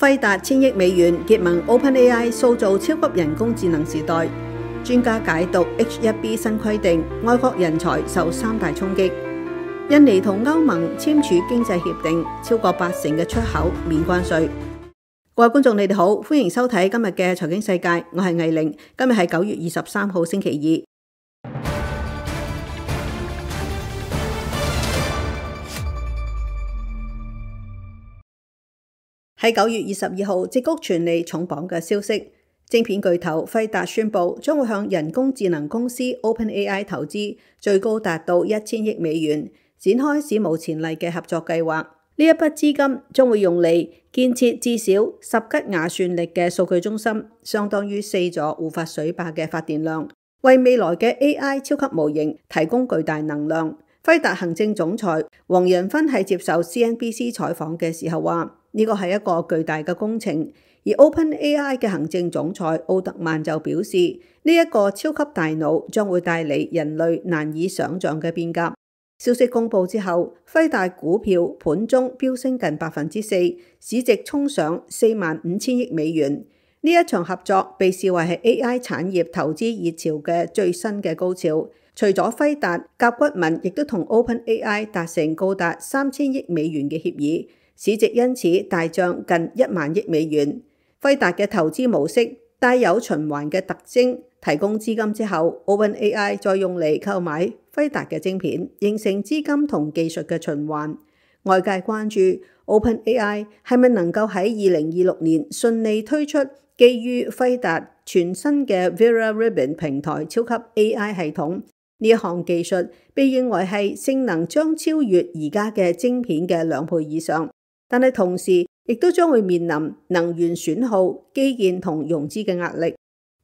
輝達1000億美元結盟 OpenAI， 塑造超級人工智能時代。專家解讀 H1B 新規定，外國人才受3大衝擊。印尼同歐盟簽署經濟協定，超過80%嘅出口免關稅。各位觀眾，你哋好，歡迎收睇今日嘅財經世界，我係魏玲。今日係9月23號星期二。喺9月22號，矽谷傳嚟重磅嘅消息，晶片巨頭輝達宣布將會向人工智能公司 OpenAI 投資，最高達到1000億美元，展開史無前例嘅合作計劃。呢一筆資金將會用嚟建設至少10吉瓦算力嘅數據中心，相當於4座胡發水壩嘅發電量，為未來嘅 AI 超級模型提供巨大能量。輝達行政總裁黃仁勳喺接受 CNBC 採訪嘅時候話，呢個係一個巨大嘅工程。而 OpenAI 嘅行政總裁奧特曼就表示，呢一個超級大腦將會帶嚟人類難以想像嘅變革。消息公佈之後，輝達股票盤中飆升近4%，市值衝上45000億美元。呢一場合作被視為係 AI 產業投資熱潮嘅最新嘅高潮。除咗輝達，甲骨文亦都同 OpenAI 達成高達3000億美元嘅協議，市值因此大漲近1萬億美元。輝達嘅投資模式帶有循環嘅特徵，提供資金之後 ，OpenAI 再用嚟購買輝達嘅晶片，形成資金同技術嘅循環。外界關注 OpenAI 係咪能夠喺2026年順利推出基於輝達全新嘅 Vera Rubin 平台超級 AI 系統。呢一項技術被認為係性能將超越而家嘅晶片嘅2倍以上，但係同時亦都將會面臨能源損耗、基建同融資嘅壓力。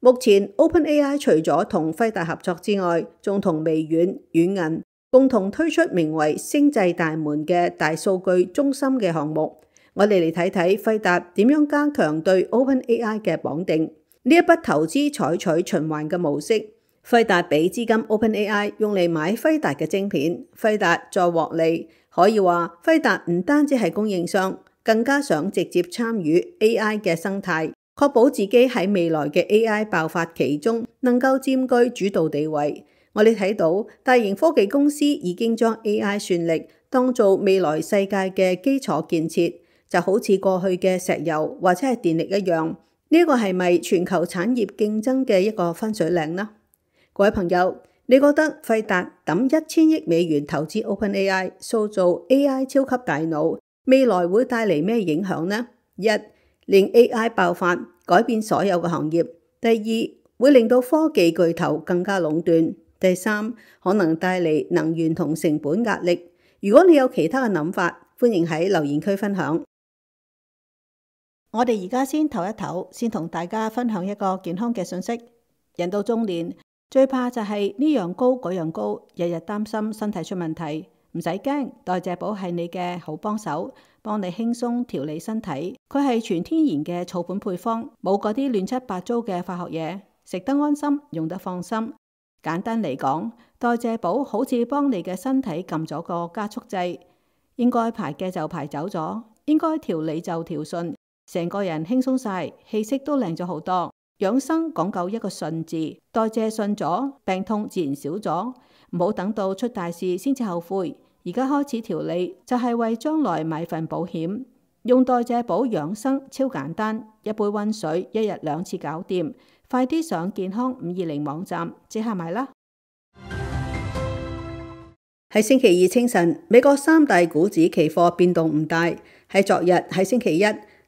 目前 OpenAI 除咗同輝達合作之外，仲同微軟、軟銀共同推出名為星際大門嘅大數據中心嘅項目。我哋嚟睇睇輝達點樣加強對 OpenAI 嘅綁定。呢一筆投資採取循環嘅模式。輝達俾資金 OpenAI 用嚟買輝達嘅晶片，輝達再獲利。可以話輝達唔單止係供應商，更加想直接參與 AI 嘅生態，確保自己喺未來嘅 AI 爆發期中能夠佔據主導地位。我哋睇到大型科技公司已經將 AI 算力當做未來世界嘅基礎建設，就好似過去嘅石油或者係電力一樣。呢個係咪全球產業競爭嘅一個分水嶺呢？各位朋友，你覺得輝達抌1000億美元投資 OpenAI， 塑造 AI 超級大腦，未來會帶嚟咩影響呢？一，令 AI 爆發，改變所有嘅行業；第二，會令到科技巨頭更加壟斷；第三，可能帶嚟能源同成本壓力。如果你有其他嘅諗法，歡迎喺留言區分享。我哋而家先唞一唞，先同大家分享一個健康嘅信息。人到中年，最怕就係呢樣高嗰樣高，日日擔心身體出問題。唔使驚，代謝寶係你嘅好幫手，幫你輕鬆調理身體。佢係全天然嘅草本配方，冇嗰啲亂七八糟嘅化學嘢，食得安心，用得放心。簡單嚟講，代謝寶好似幫你嘅身體撳咗個加速劑，應該排嘅就排走咗，應該調理就調順，成個人輕鬆晒，氣色都靚咗好多。養生講究一個順字，代謝順咗，病痛自然少咗。唔好等到出大事先至後悔，而家開始調理就係為將來買份保險。用代謝寶養生超簡單，一杯溫水，1日2次搞掂。快啲上健康520網站即刻買啦！喺星期二清晨，美國3大股指期貨變動唔大。喺昨日喺星期一，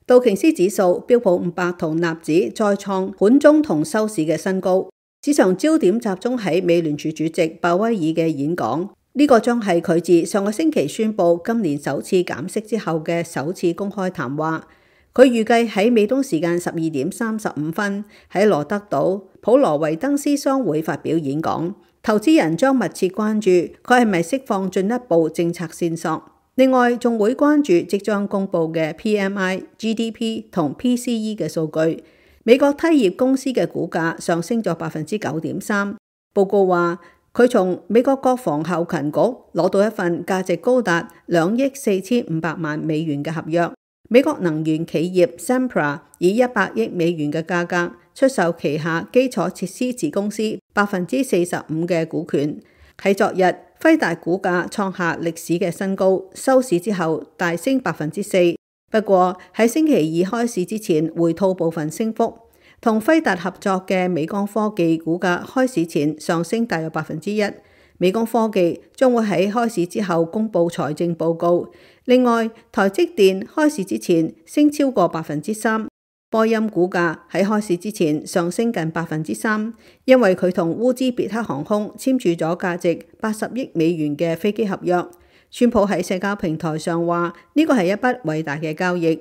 道瓊斯指數、標普500同納指再創盤中同收市嘅新高，市場焦點集中喺美聯儲主席鮑威爾嘅演講。呢個將係佢自上個星期宣布今年首次減息之後嘅首次公開談話。佢預計喺美東時間12點35分喺羅德島普羅維登斯商會發表演講。投資人將密切關注佢係咪釋放進一步政策線索。另外，仲會關注即將公布嘅 PMI、GDP 同 PCE 嘅數據。美國梯業公司嘅股價上升咗9.3%。報告話，佢從美國國防後勤局攞到一份價值高達2億4500萬美元嘅合約，美國能源企業 Sempra 以100億美元嘅價格出售旗下基礎設施子公司45%嘅股權。喺昨日，輝達股價創下歷史嘅新高，收市之後大升4%。不過喺星期二開市之前回吐部分升幅。同輝達合作嘅美光科技股價開市前上升大約1%。美光科技將會喺開市之後公布財政報告。另外，台積電開市之前升超過3%。波音股價喺開市之前上升近3%，因為佢同烏茲別克航空簽署咗價值80億美元嘅飛機合約。川普喺社交平台上話呢個係一筆偉大嘅交易。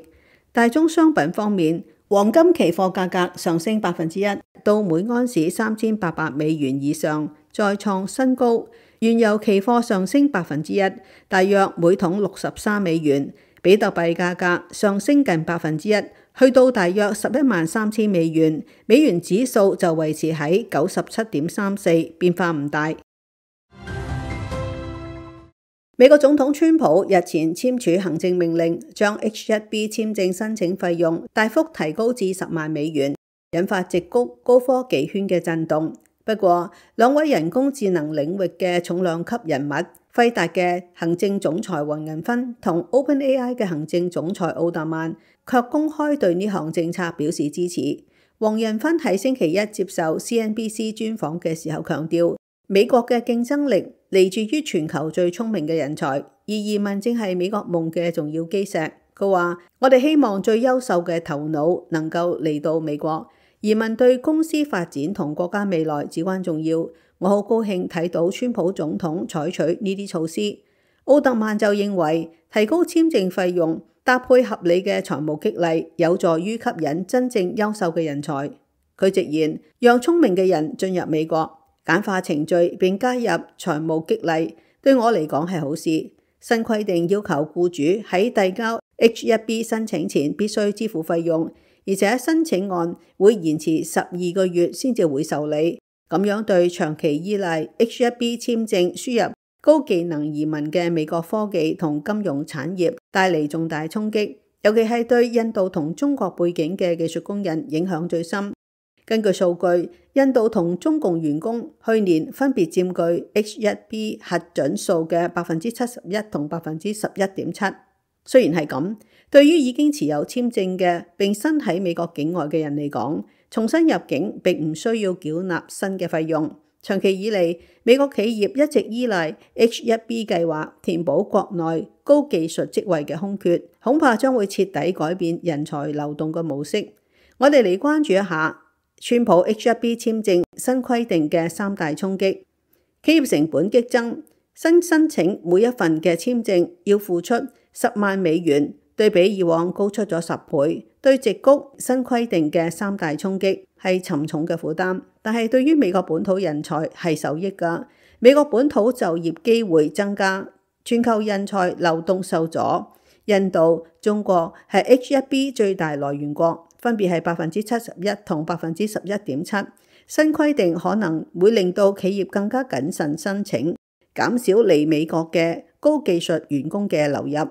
大宗商品方面，黃金期貨價格上升1%，到每安士3800美元以上，再創新高。原油期貨上升1%，大約每桶63美元。比特幣價格上升近1%，去到大約113000美元。美元指數就維持喺97.34，變化唔大。美國總統川普日前簽署行政命令，將 H-1B 簽證申請費用大幅提高至10萬美元，引發矽谷高科技圈嘅震動。不過，兩位人工智能領域嘅重量級人物，輝達嘅行政總裁黃仁勳同 OpenAI 嘅行政總裁奧特曼，卻公開對呢項政策表示支持。黃仁勳喺星期一接受 CNBC 專訪嘅時候強調，美國嘅競爭力嚟自於全球最聰明嘅人才，而移民正係美國夢嘅重要基石。佢話：我哋希望最優秀嘅頭腦能夠嚟到美國，移民對公司發展同國家未來至關重要。我好高興睇到川普總統採取呢啲措施。奧特曼就認為，提高簽證費用搭配合理嘅財務激勵，有助於吸引真正優秀嘅人才。佢直言，讓聰明嘅人進入美國，簡化程序並加入財務激勵，對我嚟講係好事。新規定要求僱主喺遞交 H-1B 申請前必須支付費用，而且申請案會延遲12個月先至會受理。咁樣對長期依賴 H-1B 簽證輸入高技能移民嘅美國科技同金融產業帶嚟重大衝擊，尤其係對印度同中國背景嘅技術工人影響最深。根據數據，印度同中共員工去年分別佔據 H-1B 核准數嘅71%同11.7%。雖然係咁，對於已經持有簽證嘅並身喺美國境外嘅人嚟講，重新入境並唔需要繳納新嘅費用。長期以嚟，美國企業一直依賴 H-1B 計劃填補國內高技術職位嘅空缺，恐怕將會徹底改變人才流動嘅模式。我哋嚟關注一下川普 H-1B 簽證新規定嘅3大衝擊。企業成本激增，新申請每一份嘅簽證要付出10萬美元，對比以往高出咗10倍。對矽谷新規定嘅3大衝擊係沉重嘅負擔，但係對於美國本土人才係受益㗎。美國本土就業機會增加，全球人才流動受阻。印度、中國係 H-1B 最大來源國，分別係71%同11.7%。新規定可能會令到企業更加謹慎申請，減少嚟美國嘅高技術員工嘅流入。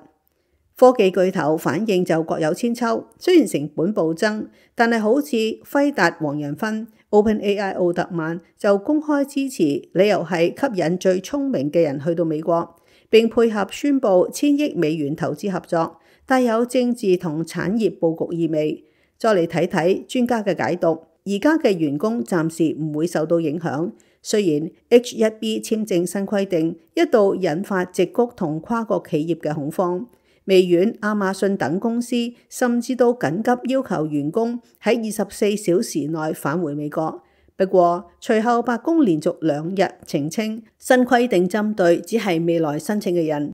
科技巨頭反應就各有千秋，雖然成本暴增，但係好似輝達黃仁勳、OpenAI 奧特曼就公開支持，理由係吸引最聰明嘅人去到美國，並配合宣布1000億美元投資合作，帶有政治同產業佈局意味。再嚟睇睇專家嘅解讀，而家嘅員工暫時唔會受到影響。雖然 H-1B 簽證新規定一度引發矽谷同跨國企業嘅恐慌。微軟、亞馬遜等公司甚至都緊急要求員工喺24小時內返回美國。不過，隨後白宮連續2日澄清，新規定針對只係未來申請嘅人，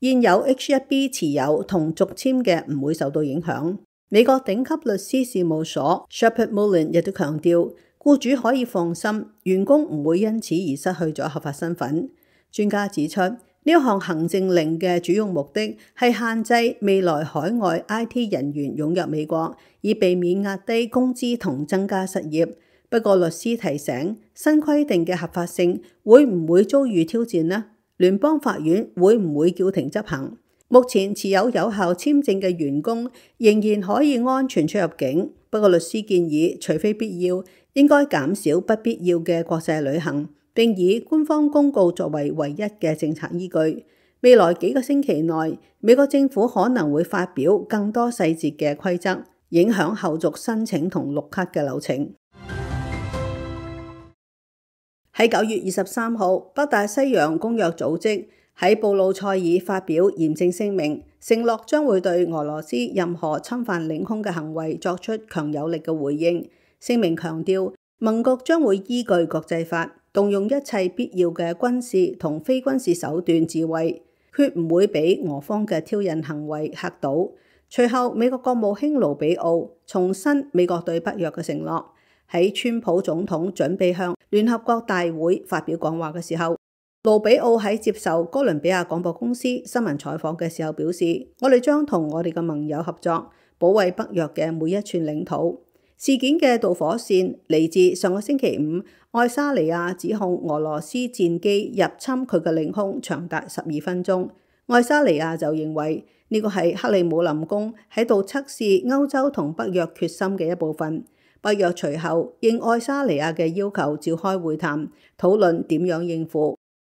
現有 H-1B 持有同續簽嘅唔會受到影響。美國頂級律師事務所 Sheppard Mullin 亦都強調，僱主可以放心，員工唔會因此而失去咗合法身份。專家指出，呢項行政令嘅主要目的係限制未來海外 IT 人員湧入美國，以避免壓低工資同增加失業。不過律師提醒，新規定嘅合法性會唔會遭遇挑戰呢？聯邦法院會唔會叫停執行？目前持有有效簽證嘅員工仍然可以安全出入境，不過律師建議，除非必要，應該減少不必要嘅國際旅行，並以官方公告作為唯一嘅政策依據。未來幾個星期內，美國政府可能會發表更多細節嘅規則，影響後續申請同綠卡嘅流程。喺9月23號，北大西洋公約組織喺布魯塞爾發表嚴正聲明，承諾將會對俄羅斯任何侵犯領空嘅行為作出強有力嘅回應。聲明強調，盟國將會依據國際法，動用一切必要嘅軍事同非軍事手段自衛，決唔會俾俄方嘅挑釁行為嚇倒。隨後，美國國務卿盧比奧重申美國對北約嘅承諾。喺川普總統準備向聯合國大會發表講話嘅時候，盧比奧喺接受哥倫比亞廣播公司新聞採訪嘅時候表示，我哋將同我哋嘅盟友合作，保衛北約嘅每一寸領土。事件嘅導火線嚟自上個星期五，愛沙尼亞指控俄羅斯戰機入侵佢嘅領空長達12分鐘。愛沙尼亞就認為呢個係克里姆林宮喺度測試歐洲同北約決心嘅一部分。北約隨後應愛沙尼亞嘅要求召開會談，討論點樣應付。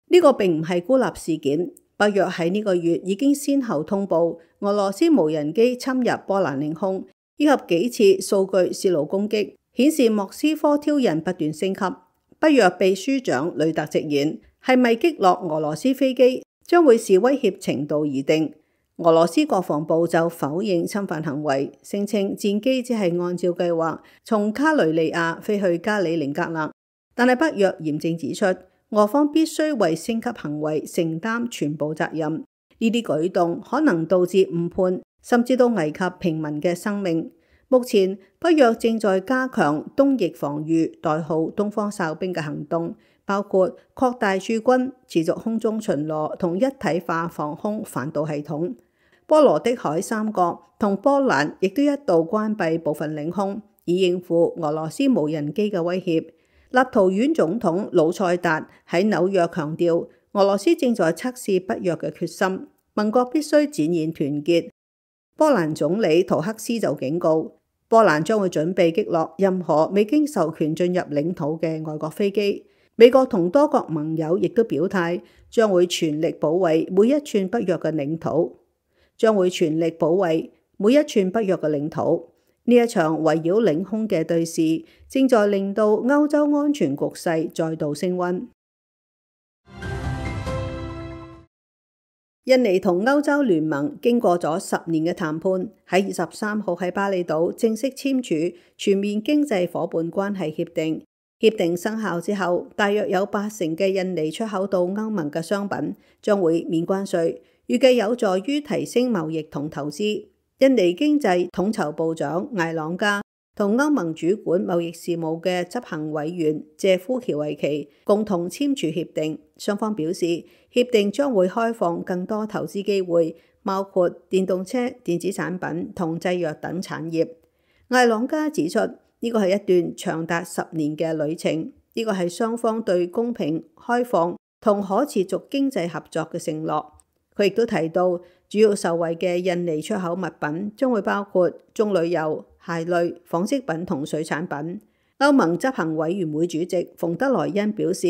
呢個並唔係孤立事件。北約喺呢個月已經先後通報俄羅斯無人機侵入波蘭領空，以及幾次數據洩露攻擊，顯示莫斯科挑釁不斷升級。北約秘書長呂特直言，係咪擊落俄羅斯飛機將會視威脅程度而定。俄羅斯國防部就否認侵犯行為，聲稱戰機只係按照計劃從卡雷利亞飛去加里寧格勒。但係北約嚴正指出，俄方必須為升級行為承擔全部責任。呢啲舉動可能導致誤判，甚至到危及平民嘅生命。目前北約正在加強東翼防禦代號東方哨兵嘅行動，包括擴大駐軍、持續空中巡邏同一體化防空反導系統。波羅的海三國同波蘭亦都一度關閉部分領空，以應付俄羅斯無人機嘅威脅。立陶宛總統魯塞達喺紐約強調，俄羅斯正在測試北約嘅決心，盟國必須展現團結。波蘭總理圖克斯就警告，波蘭將會準備擊落任何未經授權進入領土嘅外國飛機。美國同多國盟友亦都表態，將會全力保衛每一寸北約嘅領土。呢一場圍繞領空嘅對峙，正在令到歐洲安全局勢再度升溫。印尼同歐洲聯盟經過咗10年嘅談判，喺23號喺巴厘島正式簽署全面經濟夥伴關係協定。協定生效之後，大約有80%嘅印尼出口到歐盟嘅商品將會免關稅，預計有助於提升貿易同投資。印尼經濟統籌部長艾朗加同歐盟主管貿易事務嘅執行委員謝夫喬維奇共同簽署協定，雙方表示協定將會開放更多投資機會，包括電動車、電子產品同製藥等產業。艾朗加指出，呢個係一段長達10年嘅旅程，呢個係雙方對公平、開放同可持續經濟合作嘅承諾。佢亦都提到，主要受惠嘅印尼出口物品將會包括棕櫚油、鞋類、紡織品同水產品。歐盟執行委員會主席馮德萊恩表示，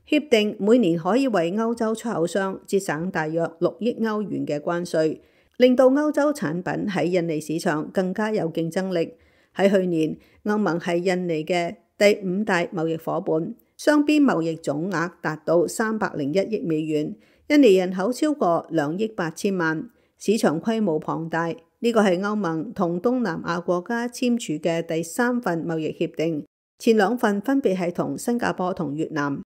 協定每年可以為歐洲出口商節省大約6億歐元嘅關稅，令到歐洲產品喺印尼市場更加有競爭力。喺去年，歐盟係印尼嘅第5大貿易夥伴，雙邊貿易總額達到301億美元。印尼人口超過2億8千萬，市場規模龐大。呢個係歐盟同東南亞國家簽署嘅第3份貿易協定，前2份分別係同新加坡同越南。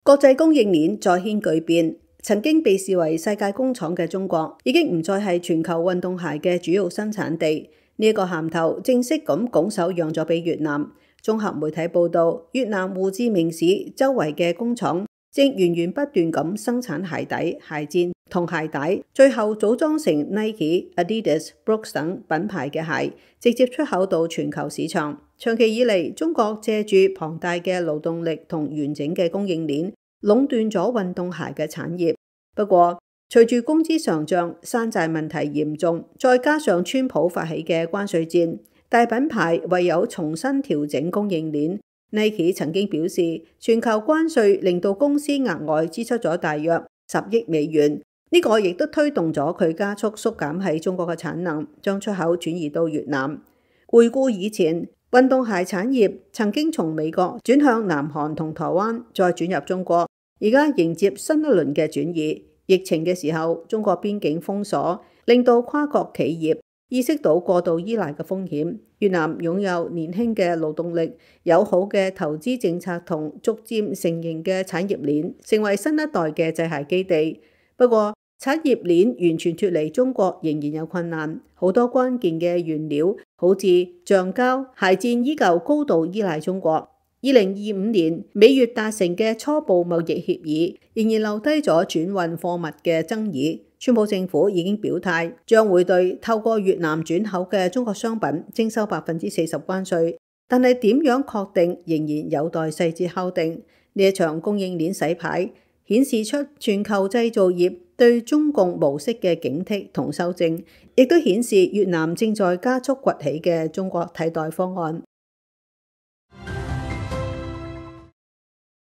國際供應鏈再掀巨變，曾經被視為世界工廠嘅中國，已經唔再係全球運動鞋嘅主要生產地。呢個銜頭正式咁拱手讓咗俾越南。綜合媒體報道，越南胡志明市周圍嘅工廠正源源不斷咁生產鞋底、鞋墊同鞋帶，最後組裝成 Nike、Adidas、Brooks 等品牌嘅鞋，直接出口到全球市場。長期以嚟，中國借住龐大嘅勞動力同完整嘅供應鏈，壟斷咗運動鞋嘅產業。不過，隨住工資上漲、山寨問題嚴重，再加上川普發起嘅關稅戰，大品牌唯有重新調整供應鏈。Nike 曾經表示，全球關稅令到公司額外支出咗大約10億美元，呢個亦都推動咗佢加速縮減喺中國嘅產能，將出口轉移到越南。回顧以前，運動鞋產業曾經從美國轉向南韓同台灣，再轉入中國，而家迎接新一輪嘅轉移。疫情嘅時候，中國邊境封鎖，令到跨國企業意識到過度依賴嘅風險。越南擁有年輕嘅勞動力、友好嘅投資政策同逐漸成型嘅產業鏈，成為新一代嘅製鞋基地。不過，產業鏈完全脫離中國仍然有困難，好多關鍵嘅原料，好似橡膠、鞋墊，依舊高度依賴中國。2025年美越達成嘅初步貿易協議，仍然留低咗轉運貨物嘅爭議。川普政府已經表態，將會對透過越南轉口嘅中國商品徵收40%關稅，但係點樣確定，仍然有待細節敲定。呢一場供應鏈洗牌，顯示出全球製造業對中共模式嘅警惕同修正，亦都顯示越南正在加速崛起嘅中國替代方案。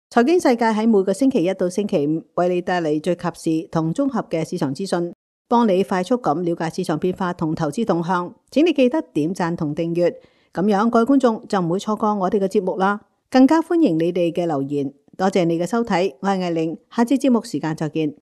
財經世界喺每個星期一到星期五為你帶嚟最及時同綜合嘅市場資訊，幫你快速咁了解市場變化同投資動向。請你記得點讚同訂閱，咁樣各位觀眾就唔會錯過我哋嘅節目啦。更加歡迎你哋嘅留言。多謝你嘅收睇，我係艾玲，下次節目時間再見。